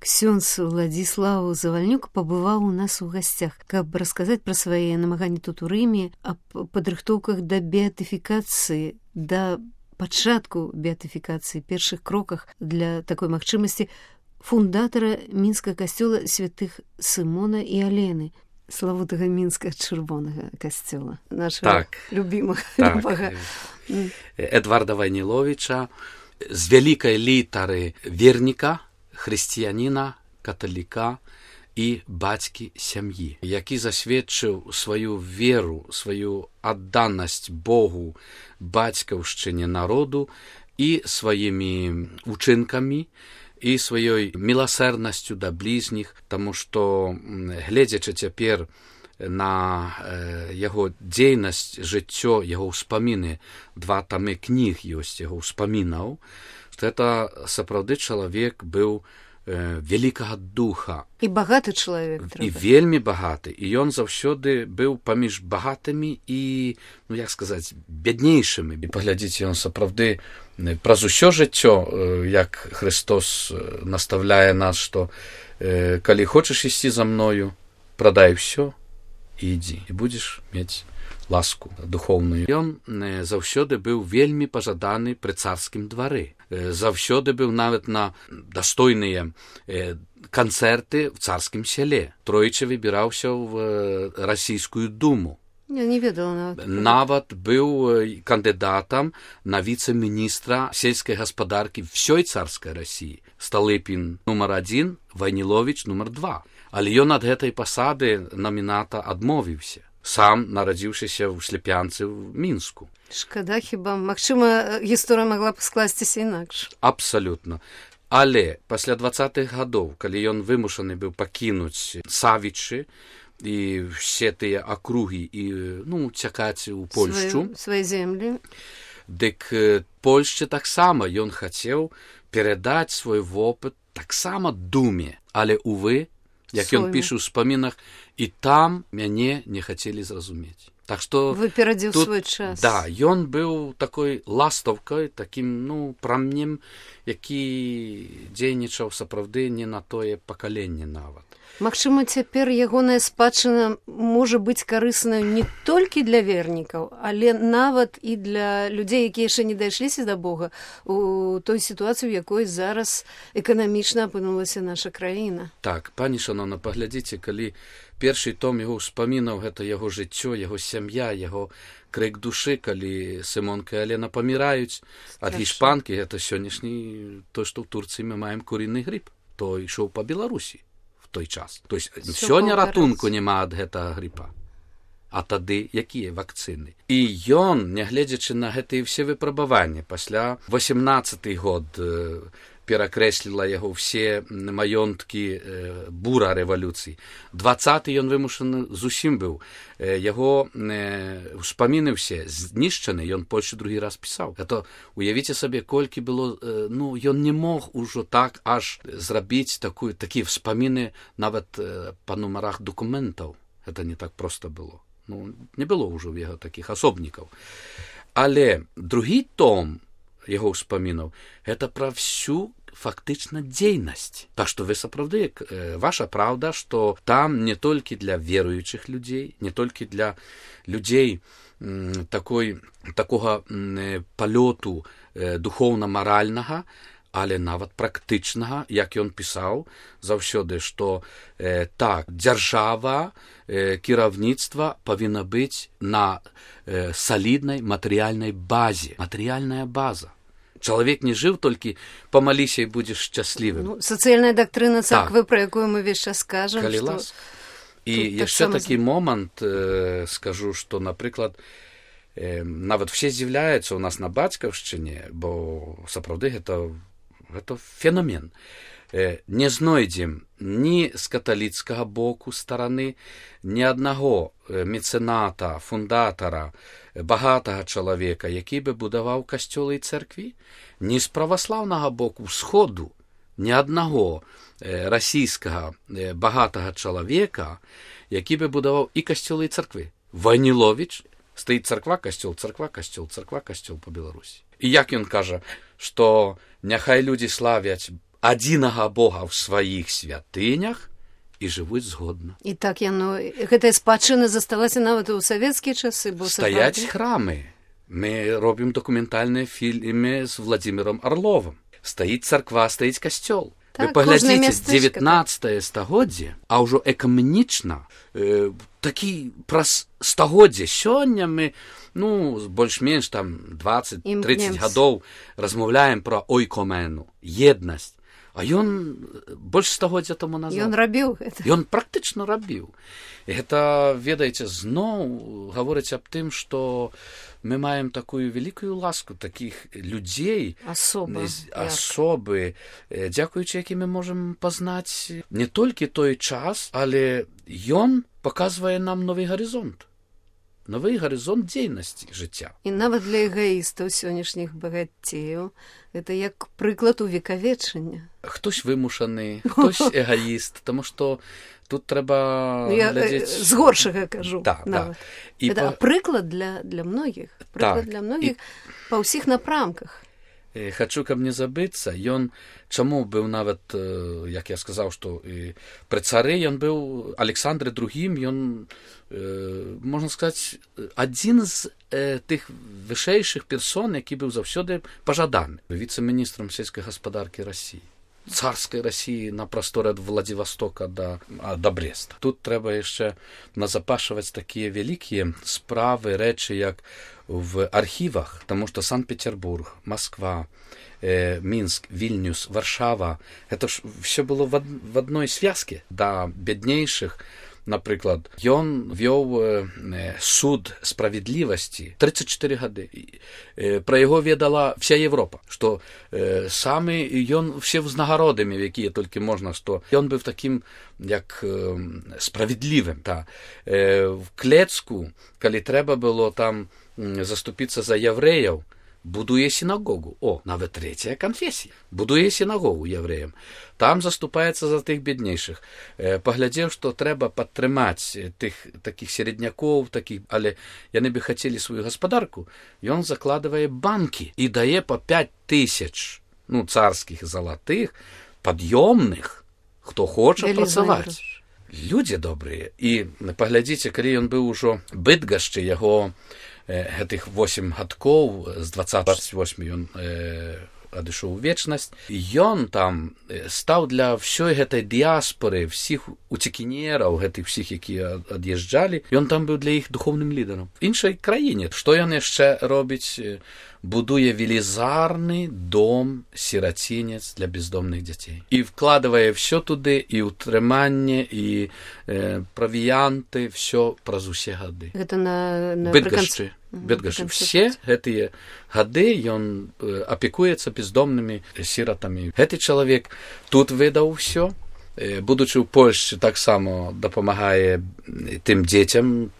Ксёндз Уладзіслаў Завальнюк пабываў у нас у гасцях, каб расказаць пра свае намаганні тут у Рыме, аб падрыхтоўках да беатыфікацыі, да пачатку беатыфікацыі, першых кроках для такой магчымасці фундатара мінскага касцёла святых Сымона і Алены, славутага мінскага чырвонага касцёла, нашага любімага. Эдварда Вайніловіча з вялікай літары верніка, хрысціяніна, каталіка і бацькі сям'і, які засведчыў сваю веру, сваю адданасць Богу, бацькаўшчыне народу і сваімі учынкамі, і сваёй міласэрнасцю да бліжніх, таму што, гледзячы цяпер на яго дзейнасць, жыццё, яго ўспаміны, 2 тамы кніг ёсць яго ўспамінаў, што гэта сапраўды чалавек быў вялікага духа. І багаты чалавек. І вельмі багаты. І ён заўсёды быў паміж багатымі і, як сказаць, бяднейшымі. І паглядзіце, ён сапраўды праз усё жыццё, як Христос наставляе нас, што калі хочаш ісці за мною, прадай усё і ідзі, і будзеш мець ласку духоўную. Ён заўсёды быў вельмі пажаданы пры царскім двары. Заўсёды быў нават на дастойныя канцэрты в царскім сяле. Тройчы выбіраўся ў расійскую думу. Я не ведала нават. Нават быў кандыдатам на віцэ-міністра сельскай гаспадаркі всёй царскай Расіі. Сталыпін нумар 1, Вайніловіч нумар 2. Але ён ад гэтай пасады наміната адмовіўся, сам нарадзіўшыся ў Шляпянцы ў Мінску. Шкада хіба, магчыма, гісторыя магла б скласціся інакш. Абсалютна. Але пасля 20-х гадоў, калі ён вымушаны быў пакінуць Савічы і все тыя акругі і, цякаць у Польшчу. Свае землі. Дык Польшчы таксама ён хацеў перадаць свой вопыт таксама думе. Але, увы, як ён піша ў спамінах, і там мяне не хацелі зразумець. Так што выперадзіў свой час. Да, ён быў такой ластаўкай, такім, прамнем, які дзейнічаў сапраўды не на тое пакаленне нават. Магчыма, цяпер ягоная спадчына можа быць карыснаю не толькі для вернікаў, але нават і для людзей, якія яшчэ не дайшліся да Бога, у той сітуацыі, у якой зараз эканамічна апынулася наша краіна. Так, пані шановна, паглядзіце, калі першы том яго ўспамінаў, гэта яго жыццё, яго сям'я, яго крык душы, калі Сымонка і Алена паміраюць ад гішпанкі, гэта сённяшні, то, што ў Турцыі мы маем курыны грып, то ішоў па Беларусі той час. То есть сёння ратунку няма ад гэтага грыпа. А тады якія вакцыны? І ён, нягледзячы на гэтыя ўсе выпрабаванні, пасля 18-й год перакрэсліла яго ўсе маёнткі бура рэвалюцыі. 20-й ён вымушаны зусім быў. Яго ўспаміны ўсе знішчаны, ён Польшчы другі раз пісаў. Это уявіце сабе, колькі было, ён не мог ужо так аж зрабіць такія ўспаміны нават па нумарах дакументаў. Это не так проста было. Не было ўжо ў яго такіх асобнікаў. Але другі том яго ўспамінаў, гэта пра всю фактычна дзейнасць. Так што вы сапраўды, ваша праўда, што там не толькі для веруючых людзей, не толькі для людзей такога палёту духоўна-маральнага, але нават практычнага, як ён пісаў заўсёды, што так, дзяржава, кіраўніцтва павінна быць на саліднай матэрыяльнай базе. Матэрыяльная база. Чалавек не жыў толькі памаліся і будзеш шчаслівым. Сацыяльная дактрына царквы, пра якую мы увесь час кажам. Калі ласка. І яшчэ такі момант скажу, што, напрыклад, нават все здзіўляюцца ў нас на бацькаўшчыне, бо сапраўды гэта феномен. Не знойдзем ні з каталіцкага боку стараны, ні аднаго мецэната, фундатара, багатага чалавека, які бы будаваў касцёлы і цэркві, ні з праваслаўнага боку сходу, ні аднаго расійскага багатага чалавека, які бы будаваў і касцёлы і цэрквы. Вайніловіч, стаіць царква, касцёл, царква, касцёл, царква, касцёл па Беларусі. І як ён кажа, што няхай людзі славяць адзінага Бога ў сваіх святынях і жывуць згодна. І так гэтая спадчына засталася нават у савецкія часы, бо стаяць храмы. Мы робім дакументальныя фільмы з Владзімірам Арловым. Стаіць царква, стаіць касцёл. Так, вы паглядзіце, 19 стагоддзе, а ўжо эканамічна, такі праз стагоддзе. Сёння мы, больш-менш там 20-30 гадоў размаўляем пра ойкомену, еднасць. А ён больш стагоддзя таму назад. Ён рабіў гэта. Ён практычна рабіў. І гэта, ведаеце, зноў гаворыць аб тым, што мы маем такую вялікую ласку такіх людзей, асобы, дзякуючы якім мы можам пазнаць не толькі той час, але ён паказвае нам новы гарызонт дзейнасці жыцця. І нават для эгаістаў сённяшніх багацеяў гэта як прыклад увекавечання. Хтось вымушаны, хтось эгаіст, таму што тут трэба глядзець... З горшага кажу. Так. Гэта прыклад для многіх. Прыклад для многіх па ўсіх напрамках. Хачу, каб не забыцца, ён чаму быў нават, як я сказаў, што пры цары ён быў Александры II, ён, можна сказаць, адзін з тых вышэйшых персон, які быў заўсёды пажаданы віцэ-міністрам сельскай гаспадаркі Расіі. Царскай Расіі на прасторы ад Владзівастока да Бреста. Тут трэба яшчэ назапашваць такія вялікія справы, рэчы, як в архівах, таму што Санкт-Петербург, Москва, Мінск, Вільнюс, Варшава, гэта ж все было в адной звязке да бяднейшых. Напрыклад, ён вёў суд справядлівасці 34 гады. Пра яго ведала вся Европа, што самы ён все ўзнагародамі, якія толькі можна, што ён быў такім як справядлівым. В Клецку, калі трэба было там заступіцца за яўрэяў, будуе сінагогу. Нават трэцяя канфесія. Будуе сінагогу яўрэям. Там заступаецца за тых беднейшых. Паглядзеў, што трэба падтрымаць тых такіх середнякоў, але яны бы хацелі сваю гаспадарку. Ён закладвае банкі і дае па 5000 царскіх залатых, пад'ёмных, хто хоча працаваць. Людзі добрыя. І паглядзіце, калі ён быў ужо Быдгашчы, яго гэтых 8 гадкоў, з 28 ён адышоў у вечнасць. Ён там стаў для ўсёй гэтай дыяспоры, всіх уцекінераў, гэтых всіх, якія ад'язджалі, ён там быў для іх духоўным лідарам. В іншай краіне. Што ён яшчэ робіць? Будуе велізарны дом-сірацінец для бездомных дзяцей. І вкладывае все туды, і ўтрыманне, і правіянты, все праз усе гады. Гэта на Быдгашчы. Все гэтыя гады ён апекуецца бездомнымі сіратамі. Гэты чалавек тут выдаў все. Будучы ў Польшчы, таксама дапамагае тым дзецям,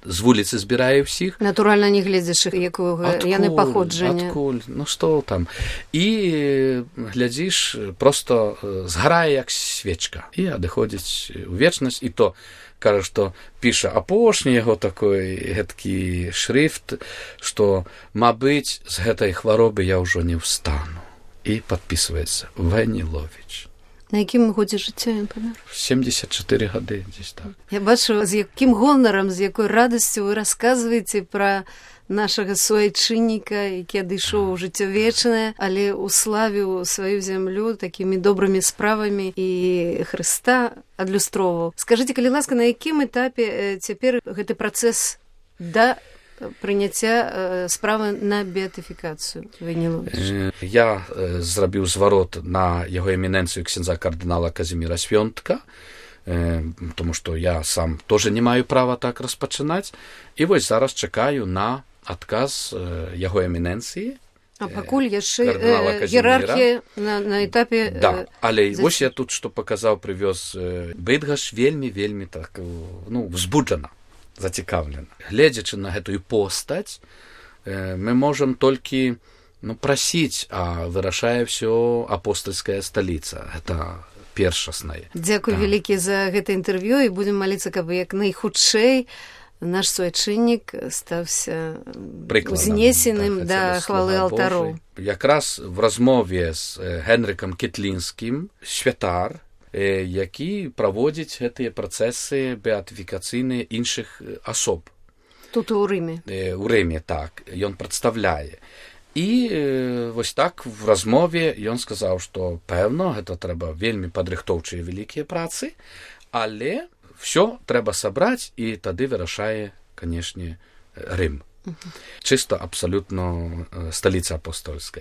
з вуліцы збірае ўсіх. Натуральна, не глядзячы, якога яны паходжання. Адкуль, што там. І глядзіш, проста згарае як свечка. І адыходзіць у вечнасць. І то кажа, што піша апошні яго такой гэткі шрыфт, што, мабыць, з гэтай хваробы я ўжо не ўстану. І падпісваецца Ваніловіч. На якім годзе жыцця ён памёр? 74 гады, дзесь так. Я бачу, з якім гонарам, з якой радасцю вы расказваеце пра нашага суайчынніка, які адышоў у жыццё вечнае, але уславіў сваю зямлю такімі добрымі справамі і Хрыста адлюстроўваў. Скажыце, калі ласка, на якім этапе цяпер гэты працэс да прыняцця справы на беатыфікацыю Ваніловіча? Я зрабіў зварот на яго эміненцыю ксяндза кардынала Казіміра Свёнтка, тому што я сам тоже не маю права так распачынаць. І вось зараз чакаю на адказ яго эміненцыі. А пакуль яшчэ іерархія на этапе... Да, але вось я тут што паказаў, прывёз Быдгаш вельмі так, взбуджана, зацікаўлена. Гледзячы на гэтую постаць, мы можам толькі прасіць, а вырашае ўсё апостальская сталіца. Гэта першаснае. Дзякуй вялікі за гэта інтэрв'ю і будзем маліцца, каб як найхутчэй наш суайчыннік стаўся узнесеным да хвалы алтароў. Якраз в размове з Генрыкам Кітлінскім святар, які праводзіць гэтыя працэсы беатыфікацыйныя іншых асоб. Тут у Рыме. У Рыме, так. Ён прадстаўляе. І вось так в размове ён сказаў, што пэўна, гэта трэба вельмі падрыхтоўчыя вялікія працы, але ўсё трэба сабраць, і тады вырашае, канешне, Рым. Чыста абсалютна сталіца апостольскай.